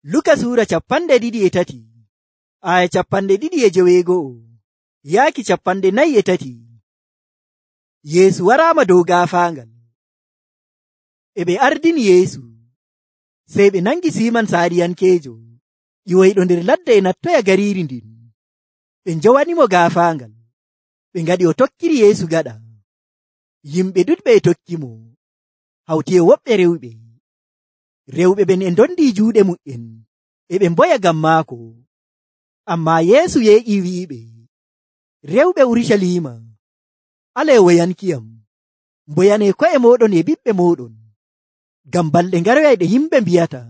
Luka Sura 23 aya 2:joweego'o yaaki 43. Yeesu waraama dow gaafaangal. E ɓe ardini Yeesu, sey ɓe nangi Siiman Saariyankeejo ƴiwoyɗo nder ladde e nattoya gariiri ndin. Ɓe njowanimo gaafaangal, ɓe ngaɗi o tokkiri Yeesu gaɗa. Yimɓe ɗuɗɓe e tokkimo, hawti e woɓɓe rewɓe. Rewɓe ɓen e ndondii juuɗe mu'en, e ɓe mboya ngam maako. Ammaa Yeesu yeeƴii wi'iɓe, “Rewɓe Urucaliima, alee woyankiyam, mboyanee ko'e mooɗon e ɓiɓɓe mooɗon, ngam balɗe ngaroyay ɗe yimɓe mbi'ata,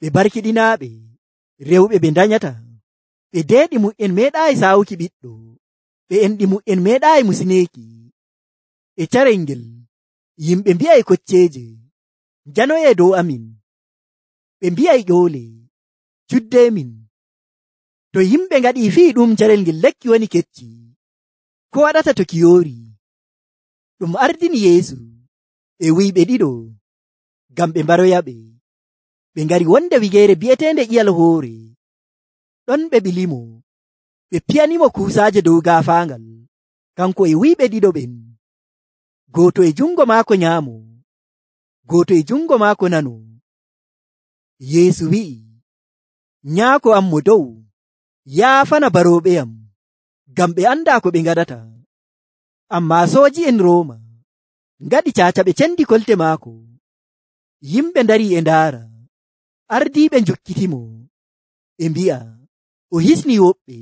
ɓe barkiɗinaaɓe, rewɓe ɓe ndanyata, ɓe deeɗi mu'en meeɗaayi saawuki ɓiɗɗo, ɓe enɗi mu'en meeɗaayi musineeki. E carel ngel, yimɓe mbi'ay kocceeje, njanoyee dow amin. Ɓe mbi'ay ƴoole, cuddeemin.” To yimɓe ngaɗii fii ɗum carel ngel lekki woni kecci, ko waɗata to ki yoori? Ɗum ardini Yeesu e wuyɓe ɗiɗo ngam ɓe mbaroyaɓe. Ɓe ngari wonde wigeere bi'eteende ƴiyal hoore. Ɗon ɓe ɓilimo, ɓe piyanimo kuusaaje dow gaafaangal, kanko e wuyɓe ɗiɗo ɓen, gooto e jungo maako nyaamo, gooto e jungo maako nano. Yeesu wi'i, “Nyaako am mo dow, yaafana barooɓeyam, ngam ɓe andaa ko ɓe ngaɗata.” Ammaa sooji'en Rooma ngaɗi caaca ɓe cendi kolte maako. Yimɓe ndarii e ndaara, ardiiɓe njukkitimo, ɓe mbi'a, “O hisnii woɓɓe.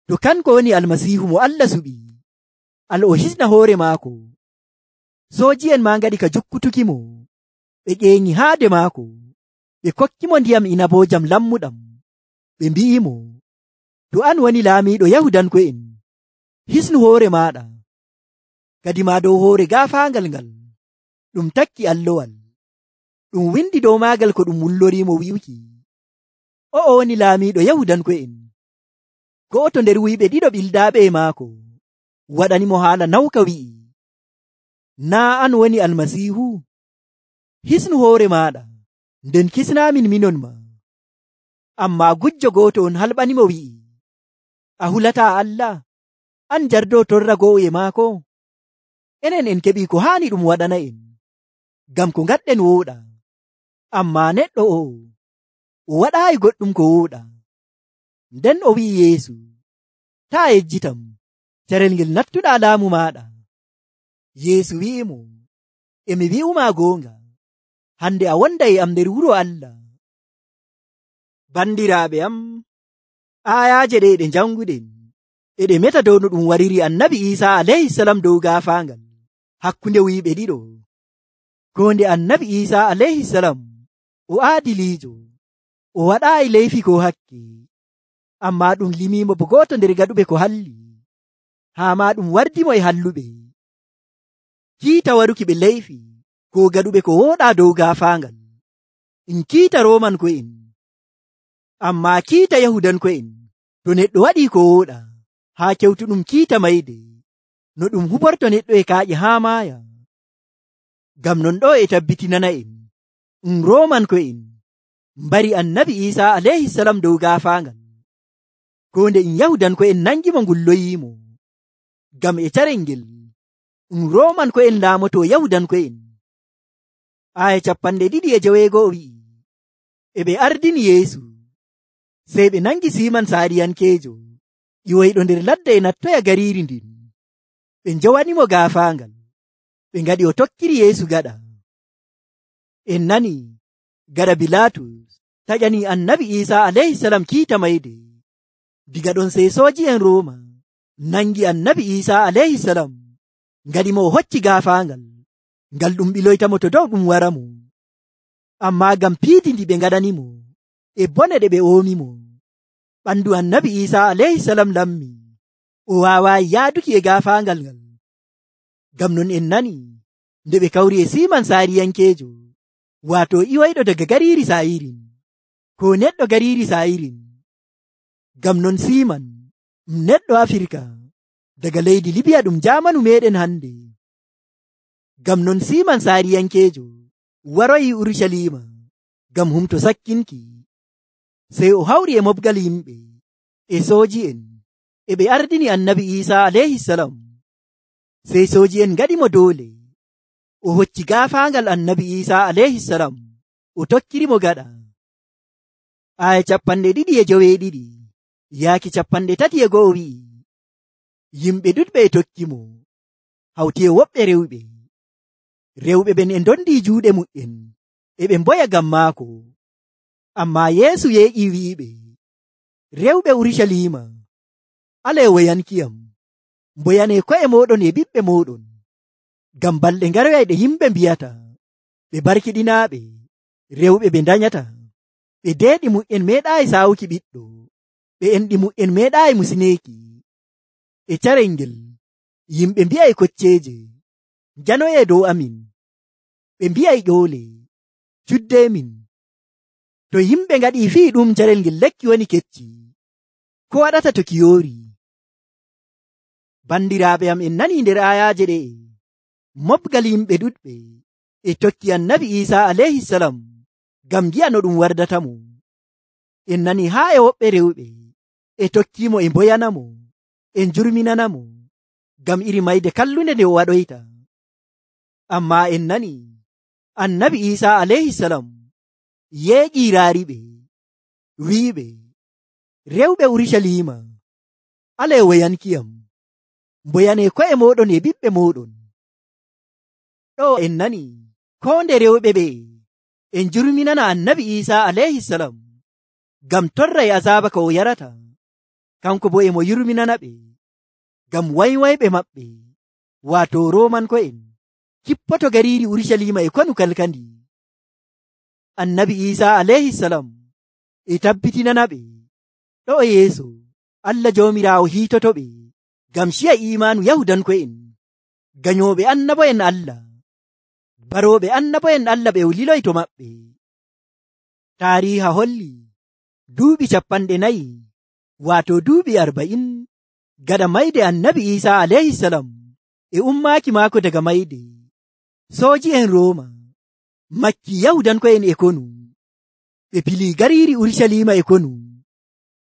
To kanko woni Almasiihu mo Allah suɓi, al o hisna hoore maako.” Sooji'en maa ngaɗi ka jukkutukimo, ɓe ƴeeŋi haade maako, ɓe kokkimo ndiyam inaboojam lammuɗam, ɓe mbi'imo, “To an woni laamiiɗo Yahudanko'en, hisnu hoore maaɗa.” Kadimaa dow hoore gaafaangal ngal ɗum takki allowal, ɗum windi dow maagal ko ɗum wulloriimo wi'uki, “O'o woni laamiiɗo Yahudanko'en.” Go'oto nder wuyɓe ɗiɗo ɓildaaɓe e maako waɗanimo haala nawka wi'i, “Naa' an woni Almasiihu? Hisnu hoore maaɗa, nden kisnaamin minon ma.” Ammaa gujjo gooto on halɓanimo wi'i, “A hulataa Allah? An jardoo torra go'o e maako? Enen en keɓii ko haani ɗum waɗana en, ngam ko ngaɗɗen wooɗa. Ammaa neɗɗo o'o, o waɗaayi goɗɗum ko wooɗa.” Nden o wi'i Yeesu, “Taa' yejjitam, carel ngel nattuɗaa laamu maaɗa.” Yeesu wi'imo, “E mi wi'umaa goonga, hande a wonday e am nder wuro Allah.” Bandiraaɓe am, aayaaje ɗe ɗe janguɗen e ɗe meta dow no ɗum wariri Annabi Iisaa alayhisalam dow gaafaangal hakkunde wuyɓe ɗiɗo. Ko nde Annabi Iisaa alayhisalam o aadiliijo, o waɗaayi leyfi ko hakke, ammaa ɗum limiimo bo gooto nder gaɗuɓe ko halli, haa maa ɗum wardimo e halluɓe. Kiita waruki ɓe leyfi ko gaɗuɓe ko wooɗaa dow gaafaangal, ɗum kiita Roomanko'en. Ammaa kiita Yahudanko'en, to neɗɗo waɗii ko wooɗa haa kewtuɗum kiita mayde, no ɗum huborto neɗɗo e kaaƴe haa maaya. Ngam non ɗo e tabbitinana en, Roomanko'en mbari Annabi Iisaa alayhisalam dow gaafaangal, ko nde Yahudanko'en nangimo ngulloyiimo. Ngam e carel ngel, Roomanko'en laamoto Yahudanko'en. Aya 22 wi'i, e ɓe ardini Yeesu, sey ɓe nangi Siiman Saariyankeejo ƴiwoyɗo nder ladde e nattoya gariiri ndin. Ɓe njowanimo gaafaangal, ɓe ngaɗi o tokkiri Yeesu gaɗa. En nani gaɗa Bilaatus taƴanii Annabi Iisaa alayhisalam kiita mayde. Diga ɗon sey sooji'en Rooma nangi Annabi Iisaa alayhisalam, ngaɗimo o hocci gaafaangal, ngal ɗum ɓiloytamo to dow ɗum waramo. Ammaa ngam piidi ndi ɓe ngaɗanimo e bone ɗe ɓe oomimo, ɓandu Annabi Iisaa alayhisalam lammi, o waawaayi yaaduki e gaafaangal ngal. Ngam non en nani nde ɓe kawri e Siiman Saariyankeejo, waato ƴiwoyɗo daga gariiri Saayirin, ko neɗɗo gariiri Saayirin. Ngam non Siiman neɗɗo Afirka daga leydi Libiya ɗum jaamanu meɗen hande. Ngam non Siiman Saariyankeejo waroyi Urucaliima ngam humto sakkinki sey o hawri e mobgal yimɓe e sooji'en e ɓe ardini annabi Iisaa alayhisalam. Sey sooji'en ngaɗimo doole o hocci gaafaangal annabi Iisaa alayhisalam o tokkirimo gaɗa. Aya 2:7 yaaki 3:1 wi'i, yimɓe ɗuɗɓe e tokkimo hawti e woɓɓe rewɓe. Rewɓe ɓen e ndondi juuɗe mu'en e ɓe mboya ngam maako. Ammaa Yeesu yeeƴi wi'iɓe, rewɓe Urucaliima, alee woyankiyam, mboyanee ko'e mooɗon e ɓiɓɓe mooɗon, ngam balɗe ngaroyay ɗe yimɓe mbiyata ɓe barkiɗinaaɓe, rewɓe ɓe ndanyata, ɓe deeɗi mu'en meeɗaayi saawuki ɓiɗɗo, ɓe enɗi mu'en meeɗaayi musineeki. E carel ngel yimɓe mbi'ay kocceeje, njanoyee dow amin, ɓe mbi'ay ƴoole, cuddeemin. To yimɓe ngaɗii fii ɗum carel ngel lekki woni kecci, ko waɗata to ki yoori? Bandiraaɓe am, en nanii nder ayaaje ɗe'e, mobgal yimɓe ɗuɗɓe e tokki annabi Iisaa alayhisalam ngam ngi'a no ɗum wardatamo. En nanii haa e woɓɓe rewɓe e tokkiimo e mboyanamo, e njurminanamo ngam iri mayde kallunde nde o waɗoyta. Ammaa en nanii annabi Iisaa alayhisalam yeeƴii raariɓe, wi'iɓe, rewɓe Urucaliima, alee woyankiyam, mboyanee ko'e mooɗon e ɓiɓɓe mooɗon. Ɗo en nanii koo nde rewɓe ɓe e njurminana annabi Iisaa alayhisalam ngam torra e azaaba ka o yarata, kanko bo e mo yurminana ɓe ngam waywayɓe maɓɓe, waato Roomanko'en, kippoto gariiri Urucaliima e konu kalkandi. Annabi Iisaa alayhisalam e tabbitinana ɓe ɗo yeeso Allah Joomiraawo hiitoto ɓe ngam ciya imaanu Yahudanko'en, ganyooɓe annabo'en Allah, barooɓe annabo'en Allah ɓe o liloyto maɓɓe. Taariiha holli duuɓi 40, waato duuɓi 40 gaɗa mayde annabi Iisaa alayhisalam e ummaaki maako daga mayde, sooji'en Rooma makki Yahudanko'en e konu, ɓe pilii gariiri Urucaliima e konu,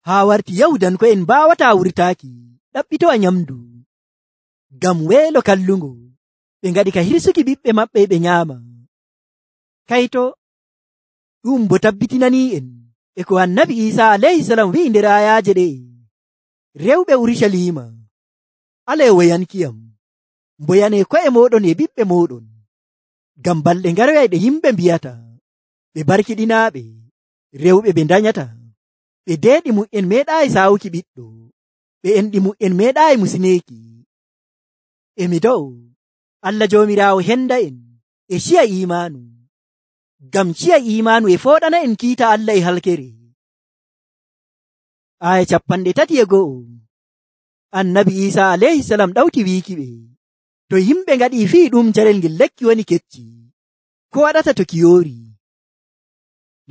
haa warti Yahudanko'en mbaawataa wurtaaki ɗaɓɓitowa nyamdu ngam weelo kallungo. Ɓe ngaɗi ka hirsuki ɓiɓɓe maɓɓe ɓe nyaama. Kayto ɗum bo tabbitinani'en e ko annabi Iisaa alayhisalam wi'i nder ayaaje ɗe'e, rewɓe Urucaliima, alee woyankiyam, mboyanee ko'e mooɗon e ɓiɓɓe mooɗon, ngam balɗe ngaroyay ɗe yimɓe mbiyata ɓe barkiɗinaaɓe, rewɓe ɓe ndanyata, ɓe deeɗi mu'en meeɗaayi saawuki ɓiɗɗo, ɓe enɗi mu'en meeɗaayi musineeki. Emi do'o Allah Joomiraawo henda en e ciya imaanu, ngam ciya imaanu e fooɗana en kiita Allah e halkere. Aya 31 annabi Iisaa alayhisalam ɗawti wiiki ɓe, to yimɓe ngaɗii fii ɗum carel ngel lekki woni kecci, ko waɗata to ki yoori?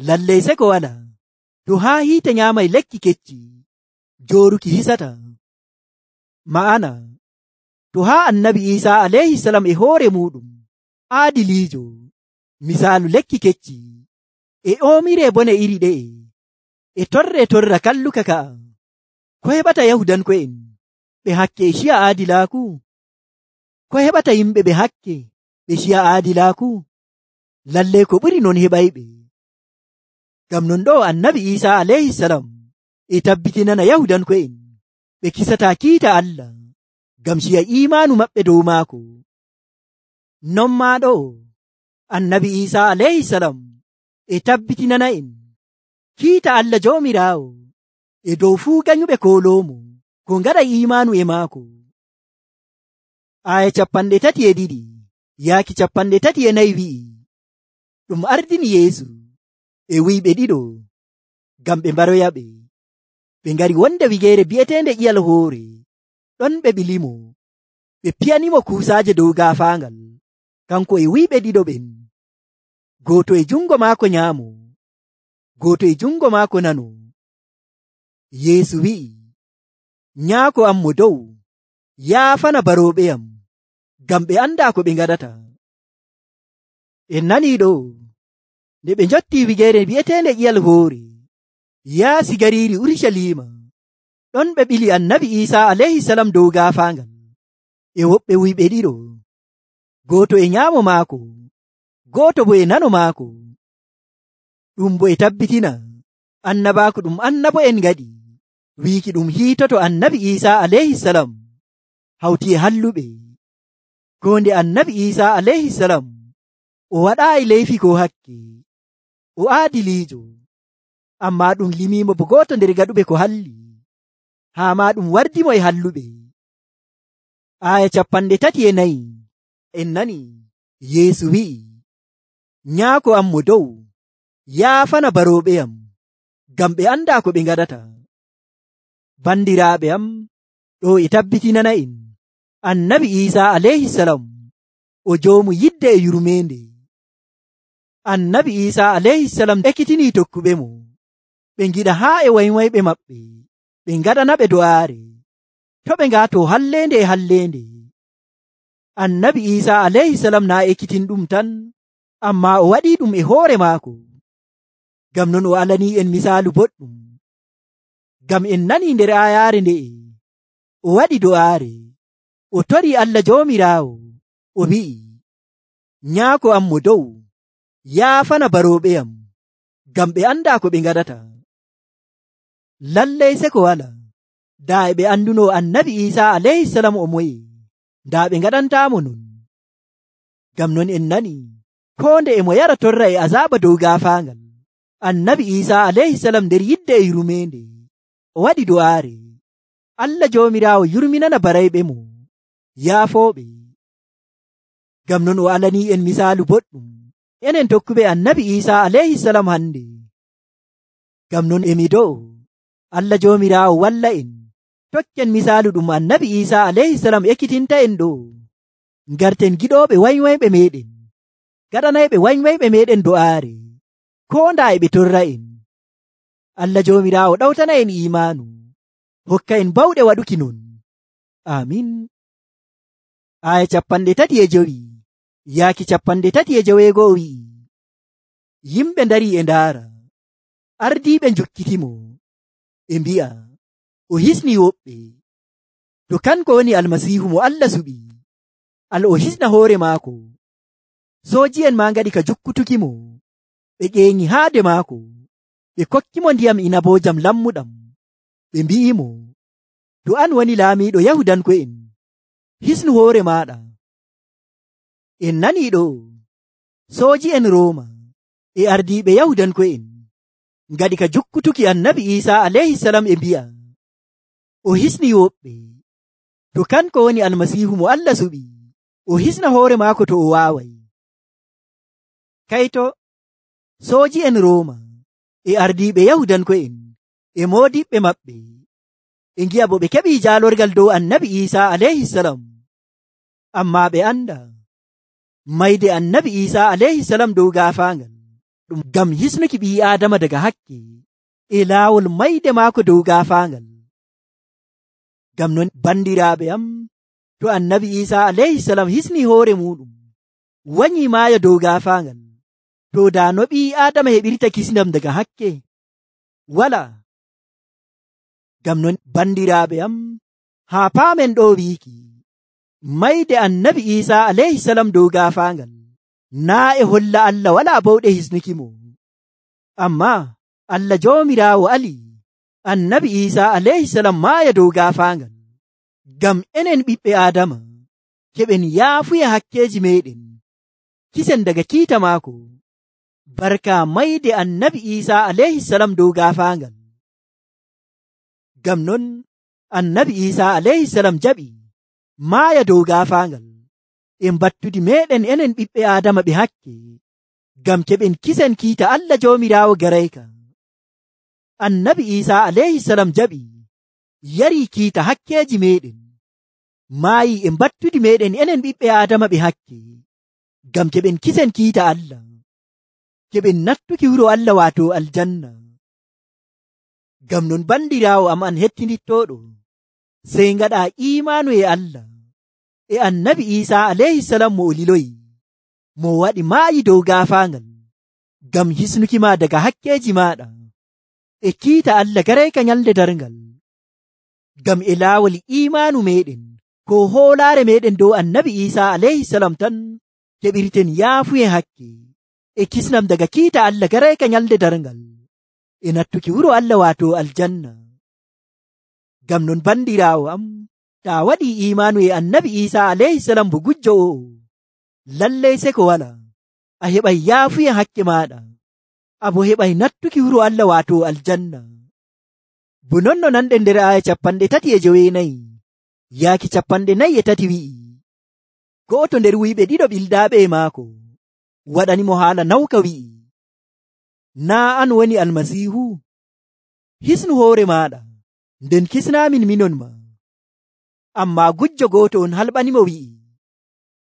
Lallay seko wala, to haa hiite nyaamay lekki kecci, jooruki hisata. Ma'ana to haa annabi Iisaa alayhisalam e hoore muɗum aadiliijo, misaalu lekki kecci e oomiree bone iri ɗe'e, e torra kalluka ka'a, ko heɓata Yahudanko'en ɓe hakke e ciya aadilaaku? Ko heɓata yimɓe ɓe hakke ɓe ciya aadilaaku? Lallay ko ɓuri non heɓayɓe. Ngam non ɗo annabi Iisaa alayhisalam e tabbitinana Yahudanko'en ɓe kisataa kiita Allah ngam ciya imaanu maɓɓe dow maako. Non maa ɗo annabi Iisaa alayhisalam e tabbitinana en kiita Allah Joomiraawo e dow fuu ganyuɓe kooloomo ko ngaɗa imaanu e maako. Aya 32 yaaki 34 wi'i, ɗum ardini Yeesu e wuyɓe ɗiɗo ngam ɓe mbaroyaɓe. Ɓe ngari wonde wigeere bi'eteende ƴiyal hoore, ɗon ɓe ɓilimo, ɓe piyanimo kuusaaje dow gaafaangal, kanko e wuyɓe ɗiɗo ɓen, gooto e jungo maako nyaamo, gooto e jungo maako nano. Yeesu wi'i, nyaako am mo dow, yaafana barooɓe am, ngam ɓe andaa ko ɓe ngaɗata. En nanii ɗo, nde ɓe njotti wigeere bi'eteende ƴiyal hoore, yaasi gariiri Urucaliima. Ɗon ɓe ɓili annabi Iisaa alayhisalam dow gaafaangal e woɓɓe wuyɓe ɗiɗo, gooto e nyaamo maako, gooto bo e nano maako. Ɗum bo e tabbitina annabaaku ɗum annabo'en ngaɗi wiiki ɗum hiitoto annabi Iisaa alayhisalam hawti e halluɓe. Koo nde annabi Iisaa alayhisalam o waɗaayi leyfi ko hakke, o aadiliijo, ammaa ɗum limiimo bo gooto nder gaɗuɓe ko halli, haa maa ɗum wardimo e halluɓe. Aaya 34 en nani Yeesu wi'i, nyaako am mo dow yaafana barooɓeyam, ngam ɓe andaa ko ɓe ngaɗata. Bandiraaɓe am, ɗo e tabbitinana en annabi Iisaa alayhisalam o joomu yidde e yurmeende. Annabi Iisaa alayhisalam ekkitinii tokkuɓe mo ɓe ngiɗa haa e waywayɓe maɓɓe ɓe ngaɗanaɓe do'aare, to ɓe ngaato halleende e halleende. Annabi Iisaa alayhisalam naa ekkitin ɗum tan, ammaa o waɗii ɗum e hoore maako. Ngam non o alanii en misaalu boɗɗum. Ngam en nanii nder aayaare nde'e o waɗi do'aare, o torii Allah Joomiraawo, o wi'i, nyaako am mo dow yaafana barooɓeyam, ngam ɓe andaa ko ɓe ngaɗata. Lallay seko wala, daa e ɓe anduno annabi Iisaa alayhisalam o moye, daa ɓe ngaɗantaamo non. Ngam non en nani koo nde e mo yara torra e azaaba dow gaafaangal, annabi Iisaa alayhisalam nder yidde e yurmeende o waɗi do'aare, Allah Joomiraawo yurminana barayɓe mo, yaafooɓe. Ngam non o alanii en misaalu boɗɗum enen tokkuɓe annabi Iisaa alayhisalam hande. Ngam non emi do'o Allah Joomiraawo walla en tokken misaalu ɗum annabi Iisaa alayhisalam ekkitinta en ɗo, ngarten giɗooɓe waywayɓe meɗen, gaɗanayɓe waywayɓe meɗen do'aare, koo ndaa e ɓe torra en. Allah Joomiraawo ɗawtana en iimaanu, hokka en bawɗe waɗuki non. Amin. Aaya 35 yaaki 36 wi'i, yimɓe ndarii e ndaara, ardiiɓe njukkitimo e mbi'a, o hisnii woɓɓe. To kanko woni Almasiihu mo Allah suɓi, o hisna hoore maako. Sooji'en maa ngaɗi ka jukkutukimo, ɓe ƴeeŋi haade maako, ɓe kokkimo ndiyam inaboojam lammuɗam, ɓe mbi'imo, to an woni laamiiɗo Yahudanko'en, hisnu hoore maaɗa. En nanii ɗo, sooji'en Rooma e ardiiɓe Yahudanko'en ngaɗi ka jukkutuki annabi Iisaa alayhisalam e mbi'a, o hisni woɓɓe. To kanko woni Almasiihu mo Allah suɓi, o hisna hoore maako to o waaway. Kayto sooji'en Rooma e ardiiɓe Yahudanko'en e moodiɓɓe maɓɓe e ngi'a bo ɓe keɓii jaalorgal dow annabi Iisaa alayhisalam, ammaa ɓe anda mayde annabi Iisaa alayhisalam dow gaafaangal ɗum ngam hisnuki ɓii Aadama daga hakke e laawol mayde maako dow gaafaangal. Ngam non bandiraaɓe am, to annabi Iisaa alayhisalam hisni hoore muɗum wanyii maaya dow gaafaangal, to daa no ɓii Aadama heɓirta kisndam daga hakke? Wala. Ngam non bandiraaɓe am, haa paamen ɗo wiiki mayde annabi Iisaa alayhisalam dow gaafaangal naa e holla Allah walaa bawɗe hisnuki mo, ammaa Allah Joomiraawo ali annabi Iisaa alayhisalam maaya dow gaafaangal ngam enen ɓiɓɓe Aadama keɓen yaafuya hakkeeji meɗen kisen daga kiita maako, barka mayde annabi Iisaa alayhisalam dow gaafaangal. Ngam non annabi Iisaa alayhisalam jaɓi maaya dow gaafaangal e mbattudi meɗen enen ɓiɓɓe Aadama ɓe hakke, ngam keɓen kisen kiita Allah Joomiraawo garayka. Annabi Iisaa alayhisalam jaɓi yarii kiita hakkeeji meɗen, maayi e mbattudi meɗen enen ɓiɓɓe Aadama ɓe hakke, ngam keɓen kisen kiita Allah, keɓen nattuki wuro Allah waato aljanna. Ngam non bandiraawo am an hettinittooɗo, sey ngaɗa iimaanu e Allah e annabi Iisaa alayhisalam mo o liloyi, mo waɗi maayi dow gaafaangal ngam hisnuki ma daga hakkeeji maaɗa e kiita Allah garayka nyalde darngal, ngam e laawol imaanu meɗen ko hoolaare meɗen dow annabi Iisaa alayhisalam tan keɓirten yaafuye hakke e kisnam daga kiita Allah garayka nyalde darngal e nattuki wuro Allah waato aljanna. Ngam non bandiraawo am, taa waɗii imaanu e annabi Iisaa alayhisalam bo gujjo o'o, lallay seko wala a heɓay yaafuye hakke maaɗa, abo heɓay nattuki wuro Allah waato aljanna. Bo non no nanɗen nder aya 34 yaaki 43 wi'i, go'oto nder wuyɓe ɗiɗo ɓildaaɓe e maako waɗanimo haala nawka wi'i, naa an woni almasiihu? Hisnu hoore maaɗa nden kisnaamin minon ma. Ammaa gujjo gooto on halɓanimo wi'i,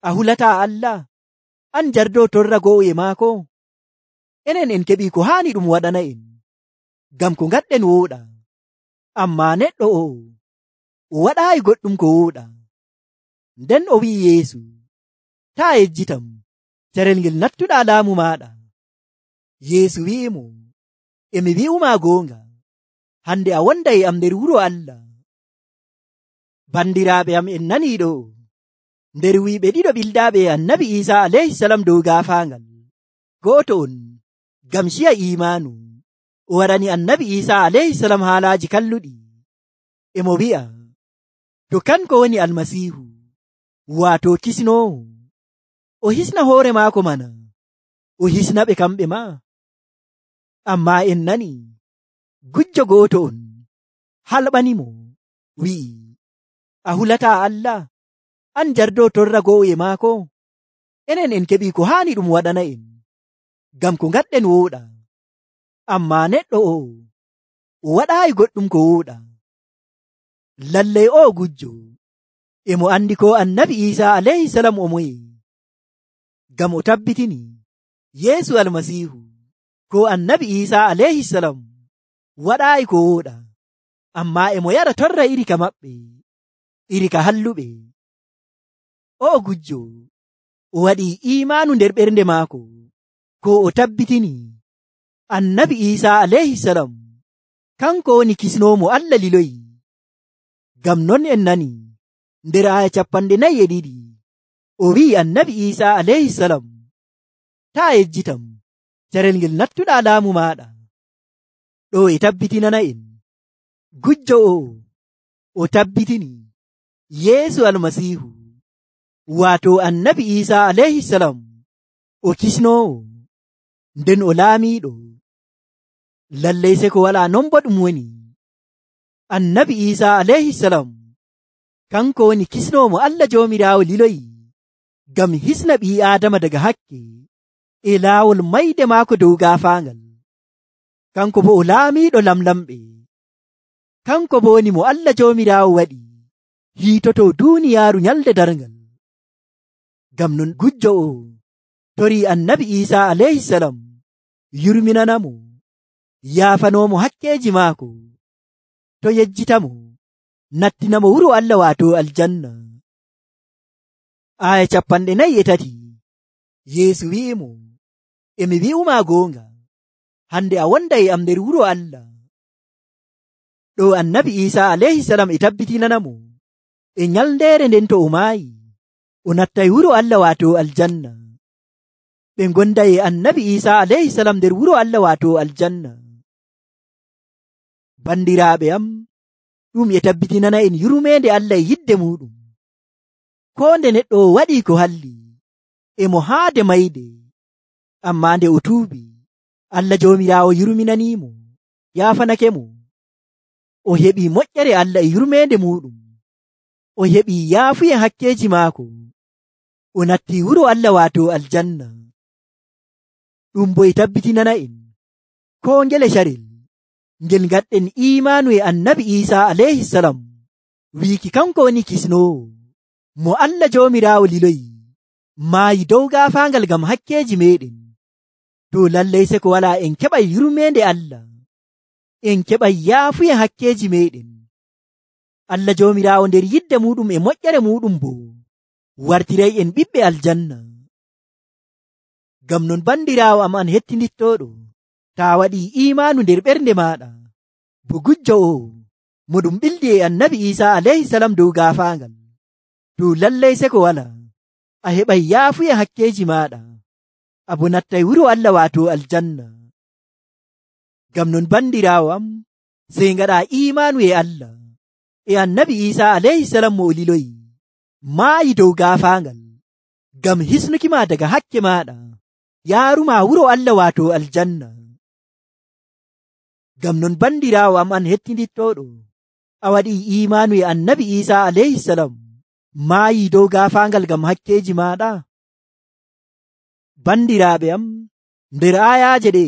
a hulataa Allah, an jardo torra go'o e maako? Enen en keɓii ko haani ɗum waɗana en, ngam ko ngaɗɗen wooɗa. Ammaa neɗɗo o waɗaayi goɗɗum ko wooɗa. Nden o wi'i Yeesu, taa yejjitam carel ngel nattuɗaa laamu maaɗa. Yeesu wi'imo, emi wi'umaa goonga, hande a wonday e am nder wuro Allah. Bandiraaɓe am, en nanii ɗo nder wuyɓe ɗiɗo ɓildaaɓe e annabi Iisaa alayhisalam dow gaafaangal, go'oto on ngam ciya imaanu o waɗani annabi Iisaa alayhisalam haalaaji kalluɗi, emo wi'a to kanko woni almasiihu, waato kisnoowo, o hisna hoore maako mana, o hisna ɓe kamɓe ma. Ammaa en nani gujjo gooto on halɓanimo wi'i, a hulataa Allah, an jardo torra go'o e maako? Enen en keɓii ko haani ɗum waɗana en, ngam ko ngaɗɗen wooɗa. Ammaa neɗɗo o waɗaayi goɗɗum ko wooɗa. Lallay o gujjo emo andi ko annabi Iisaa alayhisalam o moye, ngam o tabbitini Yeesu almasiihu ko annabi Iisaa alayhisalam waɗaayi ko wooɗa, ammaa emo yaɗa torra iri ka maɓɓe, iri ka halluɓe. O gujjo o waɗii imaanu nder ɓernde maako ko o tabbitini annabi Iisaa alayhisalam kanko woni kisnoomo Allah liloyi. Ngam non en nani nder aya 42 o wi'i annabi Iisaa alayhisalam, taa yejjitam carel ngel nattuɗaa laamu maaɗa. Ɗo e tabbitinana en gujjo o tabbitini Yeesu almasiihu waato annabi Iisaa alayhisalam o kisnoowo, nden o laamiiɗo. Lallay seko walaa non bo ɗum woni. Annabi Iisaa alayhisalam kanko woni kisnoomo Allah Joomiraawo liloyi ngam hisna ɓii Aadama daga hakke e laawol mayde maako dow gaafaangal. Kanko bo o laamiiɗo lamlamɓe. Kanko bo woni mo Allah Joomiraawo waɗi hiitoto duuniyaaru nyalde darngal. Ngam non gujjo o torii annabi Iisaa alayhisalam yurminanamo, yaafanoomo hakkeeji maako, to yejjitamo nattinamo wuro Allah waato aljanna. Aya 43 Yeesu wi'imo, emi wi'umaa goonga, hande a wonday e am nder wuro Allah. Ɗo annabi Iisaa alayhisalam e tabbitinanamo e nyalndeere nden to o maayi o nattay wuro Allah waato aljanna. Ɓe gonday e annabi Iisaa alayhisalam nder wuro Allah waato aljanna. Bandiraaɓe am, ɗum e tabbitinana en yurmeende Allah e yidde muɗum. Ko nde neɗɗo o waɗii ko halli emo haade mayde, ammaa nde o tuubi, Allah Joomiraawo yurminaniimo, yaafanakemo. O heɓii moƴƴere Allah e yurmeende muɗum. O heɓii yaafuye hakkeeji maako. O nattii wuro Allah waato aljanna. Ɗum bo e tabbitinana en ko ngele carel ngel ngaɗɗen imaanu e annabi Iisaa alayhisalam wiiki kanko woni kisnoowo mo Allah Joomiraawo liloyi, maayi dow gaafaangal ngam hakkeeji meɗen. To lallay seko walaa en keɓay yurmeende Allah, en keɓay yaafuye hakkeeji meɗen. Allah Joomiraawo nder yidde muɗum e moƴƴere muɗum bo wartiray en ɓiɓɓe aljanna. Ngam non bandiraawo am an hettindittoɗo, taa waɗii imaanu nder ɓernde maaɗa, to gujjo o mo ɗum ɓildi e annabi Isa alayhi salam dow gaafaangal, to lallay seko wala a heɓay yaafuya hakkeeji maaɗa, a bo nattay wuro Allah waato aljanna. Ngam non bandiraawo am, sey ngaɗa imaanu e Allah e annabi Isa alayhi salam mo o liloyi maayi dow gaafaangal ngam hisnukima daga hakke maaɗa, yaaruma wuro Allah waato aljanna. Ngam non bandiraawo am an hettinittooɗo, a waɗi imaanu e annabi Isa alayhi salam maayi dow gaafaangal ngam hakkeeji maaɗa. Bandiraaɓe am, nder ayaaje ɗe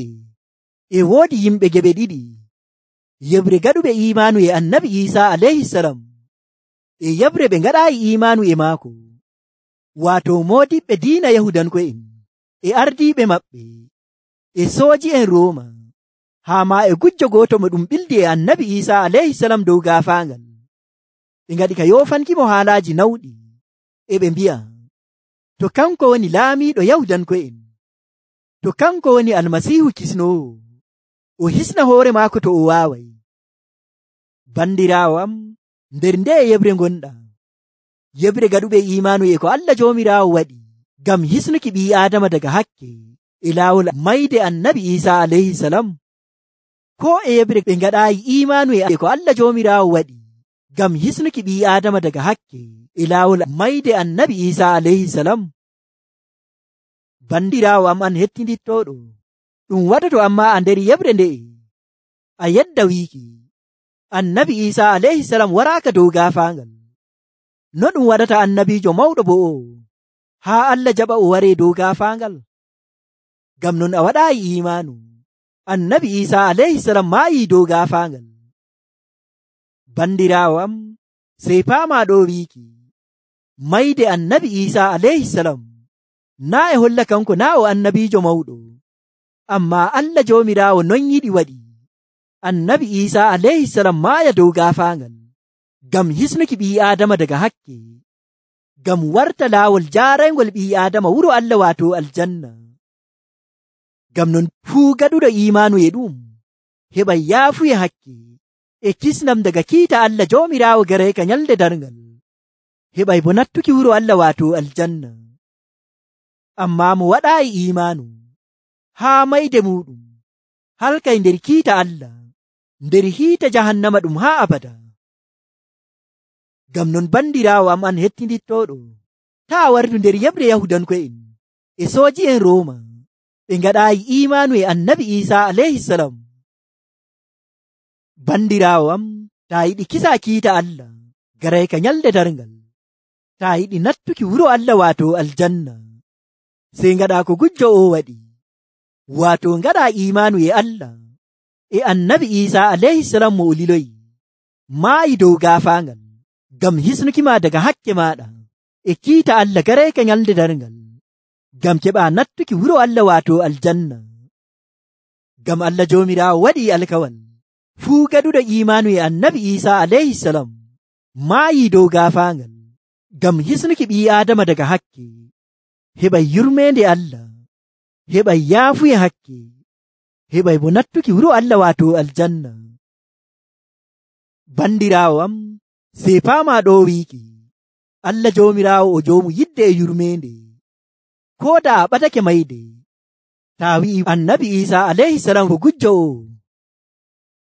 e woodi yimɓe geɓe ɗiɗi, yebre gaɗuɓe imaanu e annabi Isa alayhi salam e yebre ɓe ngaɗaayi imaanu e maako, waato moodiɓɓe diina yahudanko'en e ardiiɓe maɓɓe e sooji'en Rooma, haa ma e gujjo gooto mo ɗum ɓildi e annabi Isa alayhi salam dow gaafaangal. Ɓe ngaɗi ka yoofankimo haalaaji nawɗi, e ɓe mbi'a, to kanko woni laamiiɗo yahudanko'en, to kanko woni almasiihu kisnoowo, o hisna hoore maako to o waaway. Bandiraawo am, nder nde yebre ngonɗa, yebre gaɗuɓe imaanu e ko Allah Joomiraawo waɗi ngam hisnuki ɓii Aadama daga hakke e laawol mayde annabi Isa alayhi salam, ko e yebre ɓe ngaɗaayi imaanu e ko Allah Joomiraawo waɗi ngam hisnuki ɓii Aadama daga hakke e laawol mayde annabi Isa alayhi salam. Bandiraawo am an hettinittooɗo, ɗum waɗoto amma a nder yebre nde'e a yedda wiiki annabi Isa alayhi salam waraaka dow gaafaangal, no ɗum waɗata annabiijo mawɗo bo o haa Allah jaɓa o waree dow gaafaangal? Ngam non a waɗaayi imaanu annabi Isa alayhi salam maayi dow gaafaangal. Bandiraawo am, sey paama ɗo wiiki mayde annabi Isa alayhi salam naa e holla kanko naa o annabiijo mawɗo, amma Allah Joomiraawo non yiɗi waɗi annabi Isa alayhi salam maaya dow gaafaangal ngam hisnuki ɓii Aadama daga hakke, ngam warta laawol jaaraygol ɓii Aadama wuro Allah waato aljanna. Ngam non fuu gaɗuɗo imaanu e ɗum heɓay yaafuya hakke e kisnam daga kiita Allah Joomiraawo garayka nyalde darngal, heɓay bo nattuki wuro Allah waato aljanna. Amma mo waɗaayi imaanu haa mayde muɗum halkay nder kiita Allah, nder hiita jahannama ɗum haa abada. Ngam non bandiraawo am an hettinittooɗo, taa wartu nder yebre yahudanko'en e sooji'en Rooma ɓe ngaɗaayi imaanu e annabi Isa alayhi salam. Bandiraawo am, taa yiɗi kisa kiita Allah garayka nyalde darngal, taa yiɗi nattuki wuro Allah waato aljanna, sey ngaɗa ko gujjo o waɗi, waato ngaɗa imaanu e Allah e annabi Isa alayhi salam mo o liloyi maayi dow gaafaangal ngam hisnukima daga hakke maaɗa e kiita Allah garayka nyalde darngal, ngam keɓa nattuki wuro Allah waato aljanna. Ngam Allah Joomiraawo waɗi alkawal fuu gaɗuɗo imaanu e annabi Isa alayhi salam maayi dow gaafaangal ngam hisnuki ɓii Aadama daga hakke, heɓay yurmeende Allah, heɓay yaafuya hakke, heɓay bo nattuki wuro Allah waato aljanna. Bandiraawo am, sey paama ɗo wiiki Allah Joomiraawo o joomu yidde e yurmeende, ko da a ɓadake mayde, taa wi'i annabi Isa alayhi salam ko gujjo o,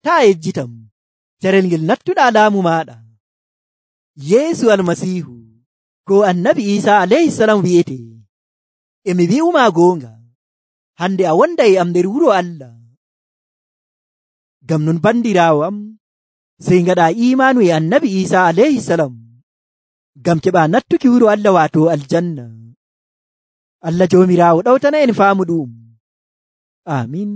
taa yejjitam carel ngel nattuɗaa laamu maaɗa. Yeesu almasiihu ko annabi Isa alayhi salam wi'ete, emi wi'uma goonga, hande a wonda e am nder wuro Allah. Ngam non bandiraawo am, sey ngaɗa imaanu e annabi Isa alayhi salam ngam keɓa nattuki wuro Allah waato aljanna. Allah Joomiraawo ɗawtana en faamu ɗum. Amin.